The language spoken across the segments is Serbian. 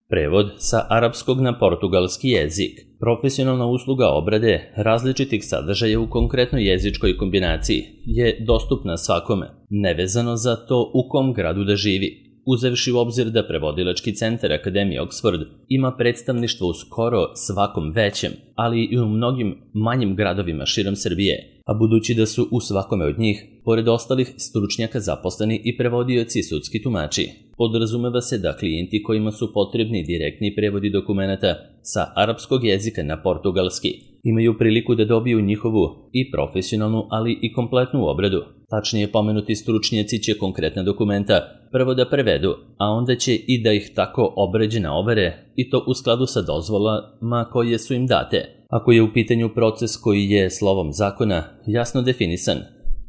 Prevod sa arapskog na portugalski jezik. Profesionalna usluga obrade različitih sadržaja u konkretnoj jezičkoj kombinaciji je dostupna svakome, nevezano za to u kom gradu da živi. Uzevši u obzir da prevodilački centar Akademije Oxford ima predstavništvo u skoro svakom većem, ali i u mnogim manjim gradovima širom Srbije, a budući da su u svakome od njih, pored ostalih stručnjaka zaposleni i prevodioci i sudski tumači, podrazumeva se da klijenti kojima su potrebni direktni prevodi dokumenata sa arapskog jezika na portugalski imaju priliku da dobiju njihovu i profesionalnu, ali i kompletnu obradu. Tačnije, pomenuti stručnjaci će konkretna dokumenta prvo da prevedu, a onda će i da ih tako obrađena overe, i to u skladu sa dozvolama koje su im date. Ako je u pitanju proces koji je slovom zakona jasno definisan,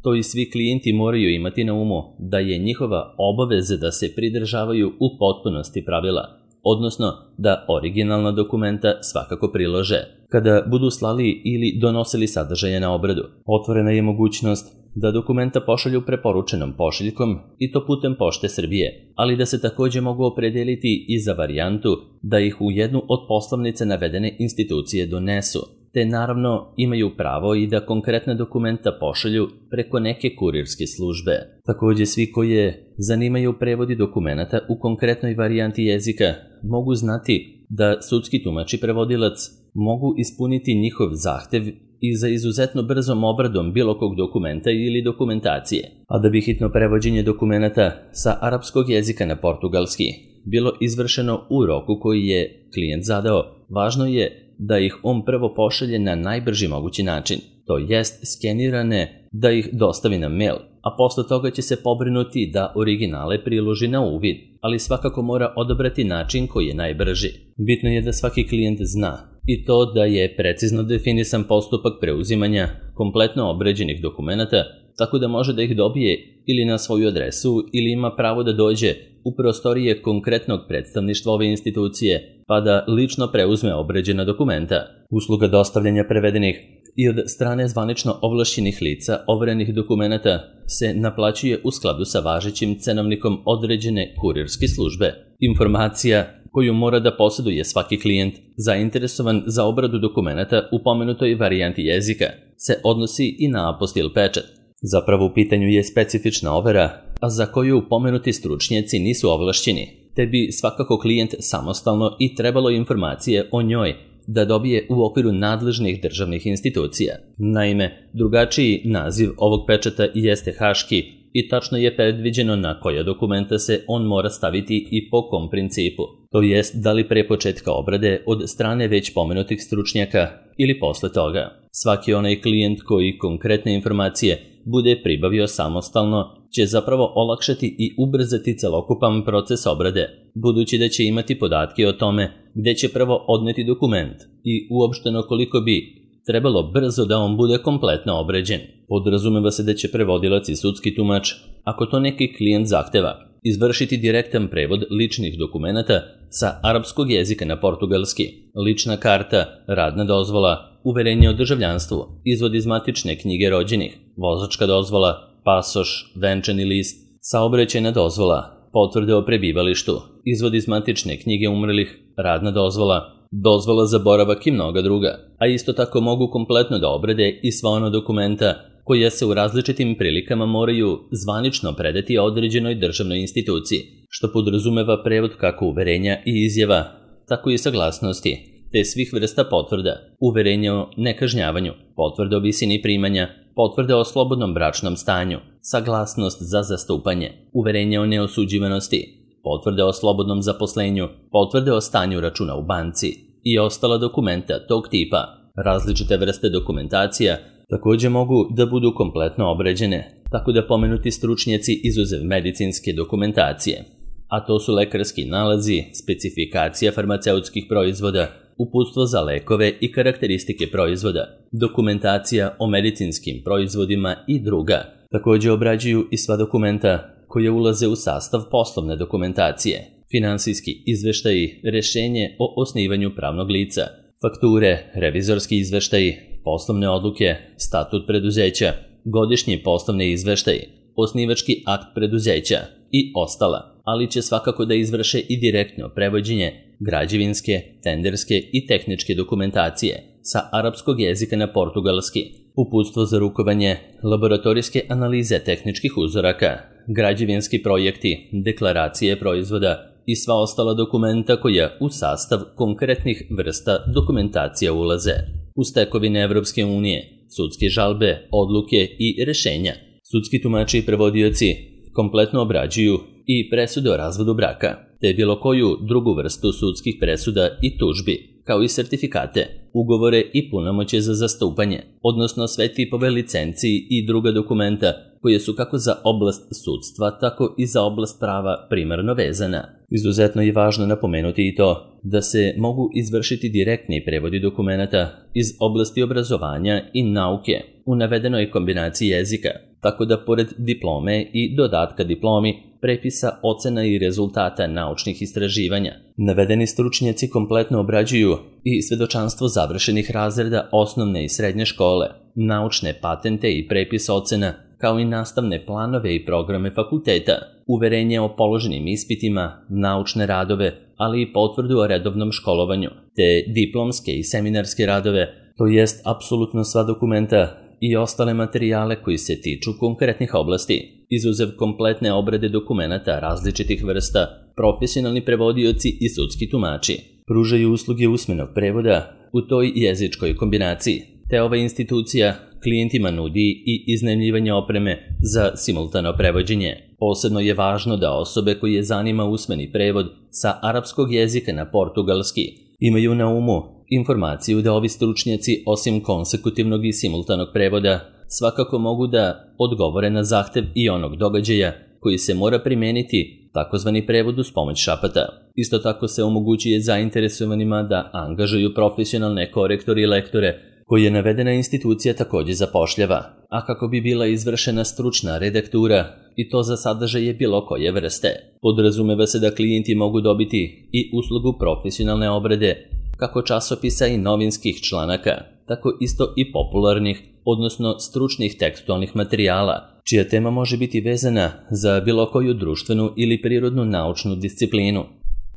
to i svi klijenti moraju imati na umu da je njihova obaveza da se pridržavaju u potpunosti pravila, odnosno da originalna dokumenta svakako prilože. Kada budu slali ili donosili sadržaje na obradu, otvorena je mogućnost da dokumenta pošalju preporučenom pošiljkom i to putem Pošte Srbije, ali da se takođe mogu opredeliti i za varijantu da ih u jednu od poslovnica navedene institucije donesu, te naravno imaju pravo i da konkretne dokumenta pošalju preko neke kurirske službe. Takođe, svi koje zanimaju prevodi dokumenata u konkretnoj varijanti jezika mogu znati da sudski tumač i prevodilac mogu ispuniti njihov zahtev i za izuzetno brzom obradom bilo kog dokumenta ili dokumentacije. A da bi hitno prevođenje dokumenata sa arapskog jezika na portugalski bilo izvršeno u roku koji je klijent zadao, važno je da ih on prvo pošalje na najbrži mogući način, to jest skenirane da ih dostavi na mail, a posle toga će se pobrinuti da originale priloži na uvid, ali svakako mora odabrati način koji je najbrži. Bitno je da svaki klijent zna i to da je precizno definisan postupak preuzimanja kompletno obrađenih dokumenata, tako da može da ih dobije ili na svoju adresu ili ima pravo da dođe u prostorije konkretnog predstavništva ove institucije, pa da lično preuzme obrađena dokumenta. Usluga dostavljanja prevedenih i od strane zvanično ovlašćenih lica overenih dokumenata se naplaćuje u skladu sa važećim cenovnikom određene kurirske službe. Informacija koju mora da posjeduje svaki klijent zainteresovan za obradu dokumenata u pomenutoj varijanti jezika se odnosi i na apostil pečat. Zapravo u pitanju je specifična overa, a za koju pomenuti stručnjaci nisu ovlašćeni, te bi svakako klijent samostalno i trebalo informacije o njoj da dobije u okviru nadležnih državnih institucija. Naime, drugačiji naziv ovog pečata jeste haški i tačno je predviđeno na koja dokumenta se on mora staviti i po kom principu, to jest da li pre početka obrade od strane već pomenutih stručnjaka ili posle toga. Svaki onaj klijent koji konkretne informacije bude pribavio samostalno će zapravo olakšati i ubrzati celokupan proces obrade, budući da će imati podatke o tome gde će prvo odneti dokument i uopšteno koliko bi trebalo brzo da on bude kompletno obrađen. Podrazumeva se da će prevodilac i sudski tumač, ako to neki klijent zahteva, izvršiti direktan prevod ličnih dokumenata sa arapskog jezika na portugalski, lična karta, radna dozvola, uverenje o državljanstvu, izvod iz matične knjige rođenih, vozačka dozvola, pasoš, venčani list, saobraćajna dozvola, potvrde o prebivalištu, izvod iz matične knjige umrlih, radna dozvola, dozvola za boravak i mnoga druga, a isto tako mogu kompletno da obrade i sva ona dokumenta koja se u različitim prilikama moraju zvanično predati određenoj državnoj instituciji, što podrazumeva prevod kako uverenja i izjava, tako i saglasnosti, te svih vrsta potvrda, uverenja o nekažnjavanju, potvrde o visini primanja, potvrde o slobodnom bračnom stanju, saglasnost za zastupanje, uverenje o neosuđivanosti, potvrde o slobodnom zaposlenju, potvrde o stanju računa u banci i ostala dokumenta tog tipa. Različite vrste dokumentacija takođe mogu da budu kompletno obrađene, tako da pomenuti stručnjaci izuzev medicinske dokumentacije, a to su lekarski nalazi, specifikacija farmaceutskih proizvoda, uputstvo za lekove i karakteristike proizvoda, dokumentacija o medicinskim proizvodima i druga. Takođe obrađuju i sva dokumenta koje ulaze u sastav poslovne dokumentacije, finansijski izveštaji, rešenje o osnivanju pravnog lica, fakture, revizorski izveštaji, poslovne odluke, statut preduzeća, godišnji poslovni izveštaji, osnivački akt preduzeća i ostala, ali će svakako da izvrše i direktno prevođenje građevinske, tenderske i tehničke dokumentacije sa arapskog jezika na portugalski, uputstvo za rukovanje, laboratorijske analize tehničkih uzoraka, građevinski projekti, deklaracije proizvoda i sva ostala dokumenta koja u sastav konkretnih vrsta dokumentacija ulaze. Uz tekovine Evropske unije, sudske žalbe, odluke i rešenja, sudski tumači i prevodioci kompletno obrađuju i presude o razvodu braka, te bilo koju drugu vrstu sudskih presuda i tužbi, kao i sertifikate, ugovore i punomoćje za zastupanje, odnosno sve tipove licenciji i druga dokumenta koje su kako za oblast sudstva, tako i za oblast prava primarno vezana. Izuzetno je važno napomenuti i to da se mogu izvršiti direktni prevodi dokumenata iz oblasti obrazovanja i nauke u navedenoj kombinaciji jezika, tako da pored diplome i dodatka diplomi, prepisa, ocena i rezultata naučnih istraživanja, navedeni stručnjaci kompletno obrađuju i svedočanstvo završenih razreda osnovne i srednje škole, naučne patente i prepis ocena, kao i nastavne planove i programe fakulteta, uverenje o položenim ispitima, naučne radove, ali i potvrdu o redovnom školovanju, te diplomske i seminarske radove, to jest apsolutno sva dokumenta i ostale materijale koji se tiču konkretnih oblasti, izuzev kompletne obrade dokumenata različitih vrsta, profesionalni prevodioci i sudski tumači pružaju usluge usmenog prevoda u toj jezičkoj kombinaciji, te ova institucija klijentima nudi i iznajmljivanje opreme za simultano prevođenje. Posebno je važno da osobe koje zanima usmeni prevod sa arapskog jezika na portugalski imaju na umu informaciju da ovi stručnjaci, osim konsekutivnog i simultanog prevoda, svakako mogu da odgovore na zahtev i onog događaja koji se mora primeniti, takozvani prevod uz pomoć šapata. Isto tako se omogućuje zainteresovanima da angažuju profesionalne korektore i lektore koje navedena institucija također zapošljava, a kako bi bila izvršena stručna redaktura i to za sadržaje bilo koje vrste. Podrazumeva se da klijenti mogu dobiti i uslugu profesionalne obrade kako časopisa i novinskih članaka, tako isto i popularnih, odnosno stručnih tekstualnih materijala, čija tema može biti vezana za bilo koju društvenu ili prirodnu naučnu disciplinu.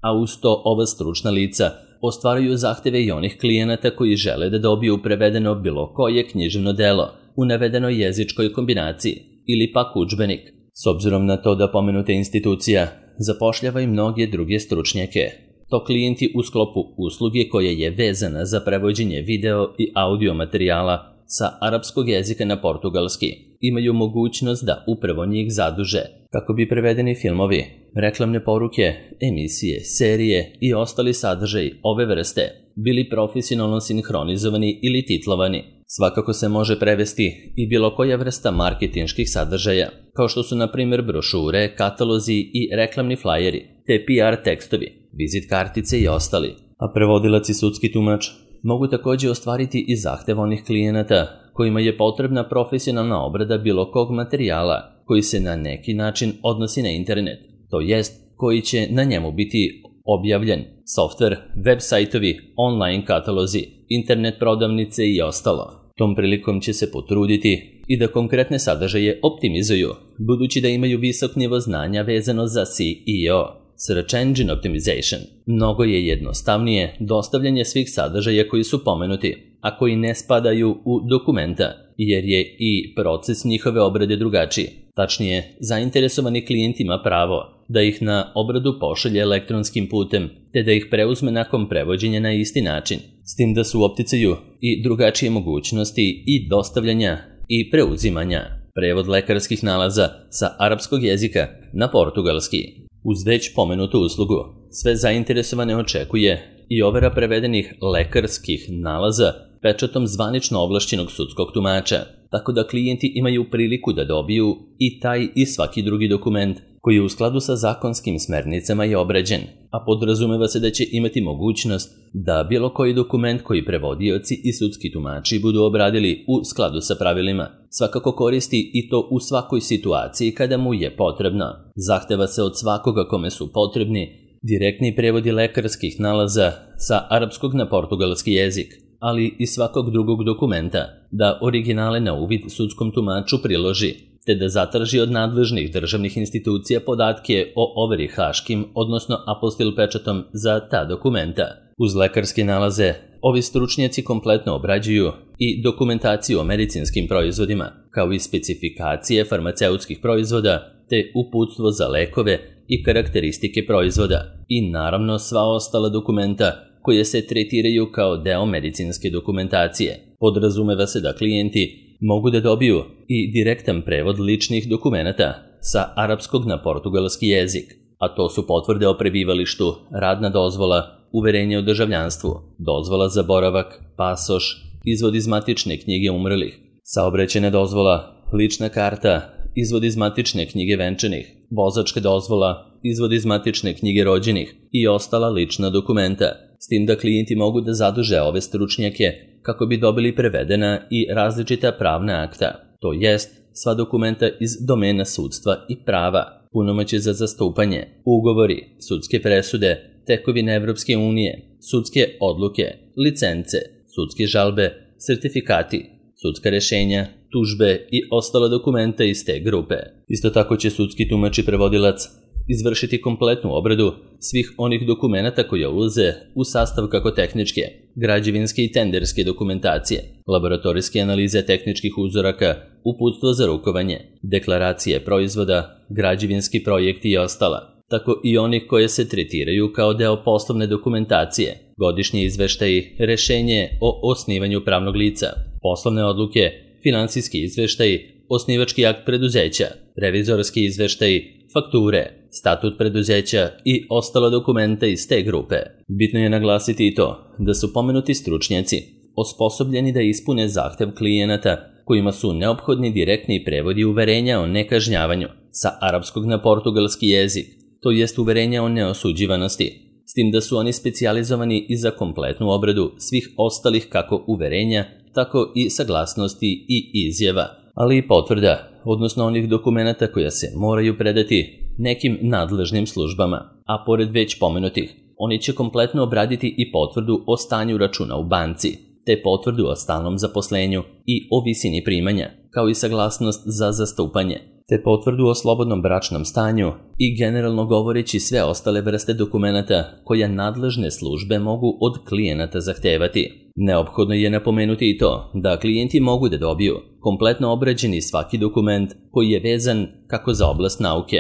A uz to ova stručna lica ostvaruju zahteve i onih klijenata koji žele da dobiju prevedeno bilo koje književno delo u navedenoj jezičkoj kombinaciji ili pak udžbenik. S obzirom na to da pomenuta institucija zapošljava i mnoge druge stručnjake, to klijenti u sklopu usluge koja je vezana za prevođenje video i audio materijala sa arapskog jezika na portugalski imaju mogućnost da upravo njih zaduže kako bi prevedeni filmovi, reklamne poruke, emisije, serije i ostali sadržaji ove vrste bili profesionalno sinhronizovani ili titlovani. Svakako se može prevesti i bilo koja vrsta marketinških sadržaja, kao što su na primjer brošure, katalozi i reklamni flajeri, te PR tekstovi, vizit kartice i ostali. A prevodilac i sudski tumač mogu također ostvariti i zahtev onih klijenata kojima je potrebna profesionalna obrada bilo kog materijala koji se na neki način odnosi na internet, to jest koji će na njemu biti objavljen, softver, web sajtovi, online katalozi, internet prodavnice i ostalo. Tom prilikom će se potruditi i da konkretne sadržaje optimizuju, budući da imaju visok nivo znanja vezano za SEO, Search Engine Optimization. Mnogo je jednostavnije dostavljanje svih sadržaja koji su pomenuti, a koji ne spadaju u dokumenta, jer je i proces njihove obrade drugačiji. Tačnije, zainteresovani klijent ima pravo da ih na obradu pošalje elektronskim putem, te da ih preuzme nakon prevođenja na isti način, s tim da su u opticaju i drugačije mogućnosti i dostavljanja i preuzimanja. Prevod lekarskih nalaza sa arapskog jezika na portugalski. Uz već pomenutu uslugu, sve zainteresovane očekuje i overa prevedenih lekarskih nalaza pečatom zvanično ovlašćenog sudskog tumača, tako da klijenti imaju priliku da dobiju i taj i svaki drugi dokument koji je u skladu sa zakonskim smernicama je obrađen, a podrazumeva se da će imati mogućnost da bilo koji dokument koji prevodioci i sudski tumači budu obradili u skladu sa pravilima svakako koristi i to u svakoj situaciji kada mu je potrebno. Zahteva se od svakoga kome su potrebni direktni prevodi lekarskih nalaza sa arapskog na portugalski jezik, ali i svakog drugog dokumenta, da originale na uvid sudskom tumaču priloži, te da zatraži od nadležnih državnih institucija podatke o overi haškim, odnosno apostil pečatom za ta dokumenta. Uz lekarske nalaze, ovi stručnjaci kompletno obrađuju i dokumentaciju o medicinskim proizvodima, kao i specifikacije farmaceutskih proizvoda, te uputstvo za lekove i karakteristike proizvoda i naravno sva ostala dokumenta koje se tretiraju kao deo medicinske dokumentacije. Podrazumeva se da klijenti mogu da dobiju i direktan prevod ličnih dokumenata sa arapskog na portugalski jezik, a to su potvrde o prebivalištu, radna dozvola, uverenje o državljanstvu, dozvola za boravak, pasoš, izvod iz matične knjige umrlih, saobraćajna dozvola, lična karta, izvod iz matične knjige venčanih, vozačka dozvola, izvod iz matične knjige rođenih i ostala lična dokumenta, s tim da klijenti mogu da zaduže ove stručnjake kako bi dobili prevedena i različita pravna akta, to jest sva dokumenta iz domena sudstva i prava, punomoćje za zastupanje, ugovori, sudske presude, tekovine Evropske unije, sudske odluke, licence, sudske žalbe, sertifikati, sudska rešenja, tužbe i ostala dokumenta iz te grupe. Isto tako će sudski tumač i prevodilac izvršiti kompletnu obradu svih onih dokumenata koje ulaze u sastav kako tehničke, građevinske i tenderske dokumentacije, laboratorijske analize tehničkih uzoraka, uputstvo za rukovanje, deklaracije proizvoda, građevinski projekti i ostala, tako i onih koje se tretiraju kao deo poslovne dokumentacije, godišnji izveštaji, rešenje o osnivanju pravnog lica, poslovne odluke, finansijski izveštaji, osnivački akt preduzeća, revizorski izveštaji, fakture, statut preduzeća i ostala dokumenta iz te grupe. Bitno je naglasiti i to da su pomenuti stručnjaci osposobljeni da ispune zahtev klijenata kojima su neophodni direktni prevodi uverenja o nekažnjavanju sa arapskog na portugalski jezik, to jest uverenja o neosuđivanosti, s tim da su oni specijalizovani i za kompletnu obradu svih ostalih kako uverenja, tako i saglasnosti i izjava, ali i potvrda, odnosno onih dokumenata koja se moraju predati nekim nadležnim službama, a pored već pomenutih, oni će kompletno obraditi i potvrdu o stanju računa u banci, te potvrdu o stalnom zaposlenju i o visini primanja, kao i saglasnost za zastupanje, te potvrdu o slobodnom bračnom stanju i generalno govoreći sve ostale vrste dokumenata koja nadležne službe mogu od klijenata zahtevati. Neophodno je napomenuti i to da klijenti mogu da dobiju kompletno obrađeni svaki dokument koji je vezan kako za oblast nauke,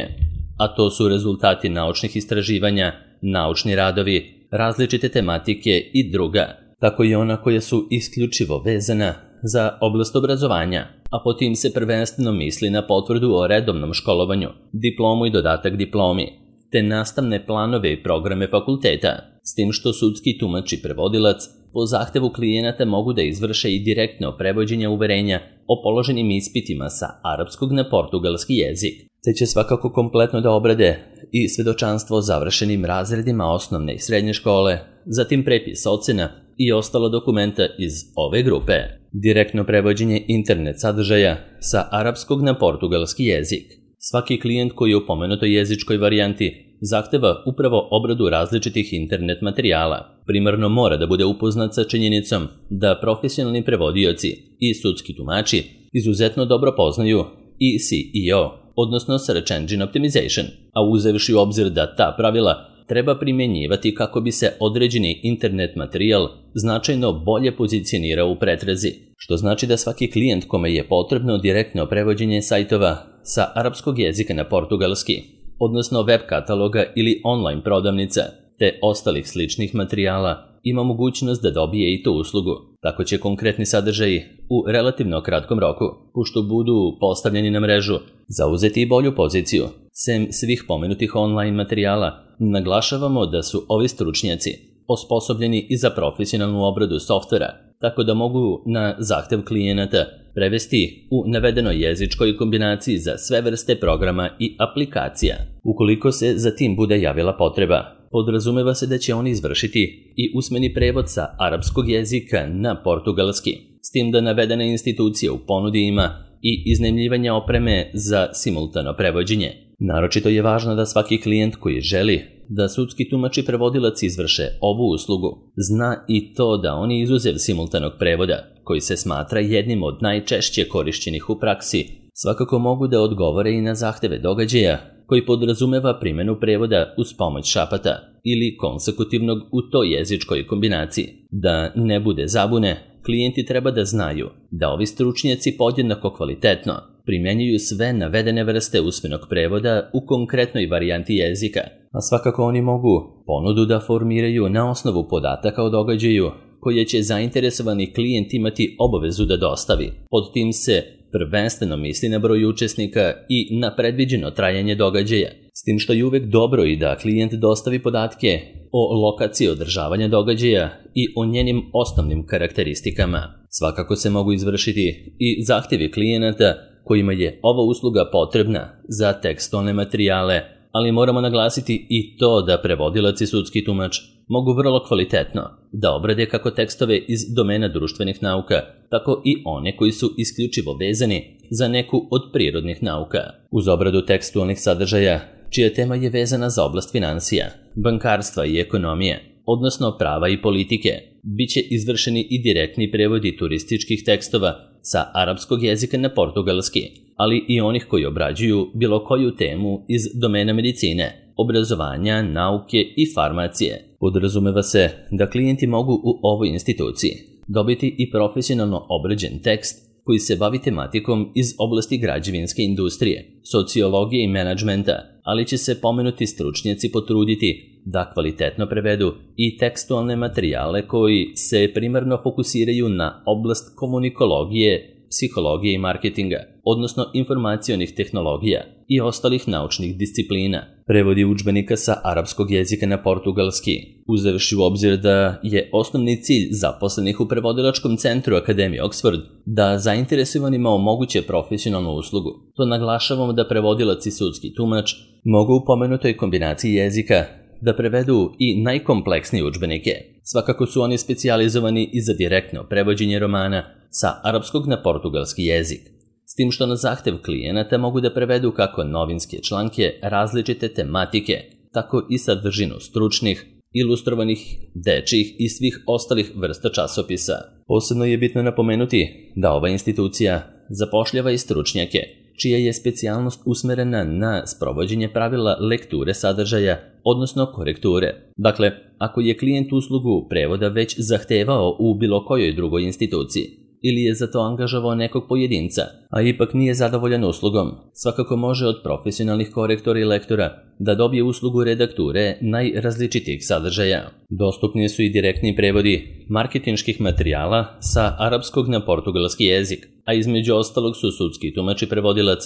a to su rezultati naučnih istraživanja, naučni radovi, različite tematike i druga, tako i ona koja su isključivo vezana za oblast obrazovanja, a po tim se prvenstveno misli na potvrdu o redovnom školovanju, diplomu i dodatak diplomi, te nastavne planove i programe fakulteta, s tim što sudski tumač i prevodilac po zahtevu klijenata mogu da izvrše i direktno prevođenje uverenja o položenim ispitima sa arapskog na portugalski jezik, te će svakako kompletno da obrade i svedočanstvo o završenim razredima osnovne i srednje škole, zatim prepis ocena i ostala dokumenta iz ove grupe. Direktno prevođenje internet sadržaja sa arapskog na portugalski jezik. Svaki klijent koji je u pomenutoj jezičkoj varijanti zahteva upravo obradu različitih internet materijala. Primarno mora da bude upoznat sa činjenicom da profesionalni prevodioci i sudski tumači izuzetno dobro poznaju i SEO, odnosno Search Engine Optimization, a uzevši u obzir da ta pravila treba primjenjivati kako bi se određeni internet materijal značajno bolje pozicionirao u pretrazi, što znači da svaki klijent kome je potrebno direktno prevođenje sajtova sa arapskog jezika na portugalski, odnosno web kataloga ili online prodavnica, te ostalih sličnih materijala, ima mogućnost da dobije i tu uslugu. Tako će konkretni sadržaji u relativno kratkom roku, pošto budu postavljeni na mrežu, zauzeti i bolju poziciju. Sem svih pomenutih online materijala, naglašavamo da su ovi stručnjaci osposobljeni i za profesionalnu obradu softvera, tako da mogu na zahtev klijenata prevesti u navedenoj jezičkoj kombinaciji za sve vrste programa i aplikacija. Ukoliko se za tim bude javila potreba, podrazumeva se da će oni izvršiti i usmeni prevod sa arapskog jezika na portugalski, s tim da navedena institucija u ponudi ima i iznajmljivanje opreme za simultano prevođenje. Naročito je važno da svaki klijent koji želi da sudski tumač i prevodilac izvrše ovu uslugu zna i to da oni izuzev simultanog prevoda, koji se smatra jednim od najčešće korišćenih u praksi, svakako mogu da odgovore i na zahteve događaja, koji podrazumeva primjenu prevoda uz pomoć šapata ili konsekutivnog u toj jezičkoj kombinaciji. Da ne bude zabune, klijenti treba da znaju da ovi stručnjaci podjednako kvalitetno primjenjuju sve navedene vrste usmenog prevoda u konkretnoj varijanti jezika, a svakako oni mogu ponudu da formiraju na osnovu podataka o događaju koje će zainteresovani klijent imati obavezu da dostavi. Pod tim se prvenstveno misli na broj učesnika i na predviđeno trajanje događaja, s tim što je uvek dobro i da klijent dostavi podatke o lokaciji održavanja događaja i o njenim osnovnim karakteristikama. Svakako se mogu izvršiti i zahtjevi klijenata kojima je ova usluga potrebna za tekstualne materijale, ali moramo naglasiti i to da prevodilac i sudski tumač mogu vrlo kvalitetno da obrade kako tekstove iz domena društvenih nauka, tako i one koji su isključivo vezani za neku od prirodnih nauka. Uz obradu tekstualnih sadržaja, čija tema je vezana za oblast finansija, bankarstva i ekonomije, odnosno prava i politike, bit će izvršeni i direktni prevodi turističkih tekstova sa arapskog jezika na portugalski, ali i onih koji obrađuju bilo koju temu iz domena medicine, obrazovanja, nauke i farmacije. Podrazumeva se da klijenti mogu u ovoj instituciji dobiti i profesionalno obrađen tekst koji se bavi tematikom iz oblasti građevinske industrije, sociologije i menadžmenta, ali će se pomenuti stručnjaci potruditi da kvalitetno prevedu i tekstualne materijale koji se primarno fokusiraju na oblast komunikologije, psihologije i marketinga, odnosno informacionih tehnologija i ostalih naučnih disciplina. Prevodi udžbenika sa arapskog jezika na portugalski, uzevši u obzir da je osnovni cilj zaposlenih u prevodilačkom centru Akademije Oxford da zainteresovanima omoguće profesionalnu uslugu. To naglašavamo da prevodilac i sudski tumač mogu u pomenutoj kombinaciji jezika da prevedu i najkompleksnije udžbenike. Svakako su oni specijalizovani i za direktno prevođenje romana sa arapskog na portugalski jezik, s tim što na zahtev klijenata mogu da prevedu kako novinske članke različite tematike, tako i sadržinu stručnih, ilustrovanih, dečjih i svih ostalih vrsta časopisa. Posebno je bitno napomenuti da ova institucija zapošljava i stručnjake, čija je specijalnost usmerena na sprovođenje pravila lekture sadržaja, odnosno korekture. Dakle, ako je klijent uslugu prevoda već zahtevao u bilo kojoj drugoj instituciji, ili je za to angažovao nekog pojedinca, a ipak nije zadovoljan uslugom, svakako može od profesionalnih korektora i lektora da dobije uslugu redakture najrazličitijih sadržaja. Dostupni su i direktni prevodi marketinških materijala sa arapskog na portugalski jezik, a između ostalog su sudski tumač i prevodilac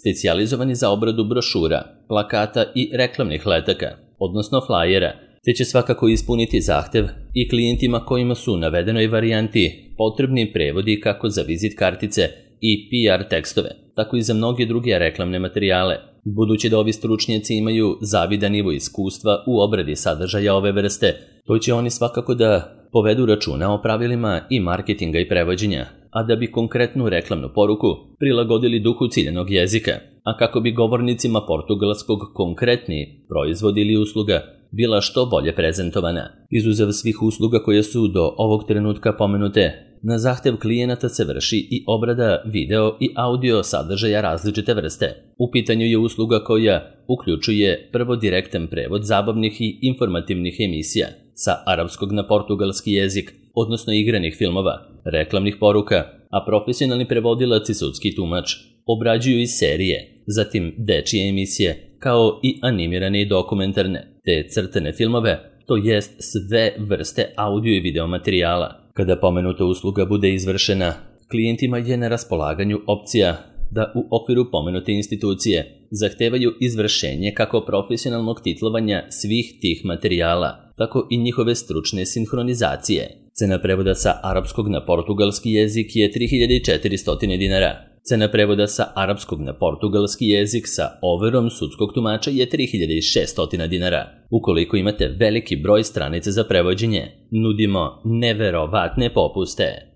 specijalizovani za obradu brošura, plakata i reklamnih letaka, odnosno flajera, te će svakako ispuniti zahtev i klijentima kojima su u navedenoj varijanti potrebni prevodi kako za vizit kartice i PR tekstove, tako i za mnoge druge reklamne materijale. Budući da ovi stručnjaci imaju zavidan nivo iskustva u obradi sadržaja ove vrste, to će oni svakako da povedu računa o pravilima i marketinga i prevođenja, a da bi konkretnu reklamnu poruku prilagodili duhu ciljanog jezika, a kako bi govornicima portugalskog konkretni proizvod ili usluga bila što bolje prezentovana. Izuzev svih usluga koje su do ovog trenutka pomenute, na zahtev klijenata se vrši i obrada video i audio sadržaja različite vrste. U pitanju je usluga koja uključuje prvo direktan prevod zabavnih i informativnih emisija sa arapskog na portugalski jezik, odnosno igranih filmova, reklamnih poruka, a profesionalni prevodilac i sudski tumač obrađuju i serije, zatim dečije emisije, kao i animirane i dokumentarne, te crtane filmove, to jest sve vrste audio i video materijala. Kada pomenuta usluga bude izvršena, klijentima je na raspolaganju opcija da u okviru pomenute institucije zahtevaju izvršenje kako profesionalnog titlovanja svih tih materijala, tako i njihove stručne sinhronizacije. Cena prevoda sa arapskog na portugalski jezik je 3400 dinara. Cena prevoda sa arapskog na portugalski jezik sa overom sudskog tumača je 3600 dinara. Ukoliko imate veliki broj stranica za prevođenje, nudimo neverovatne popuste.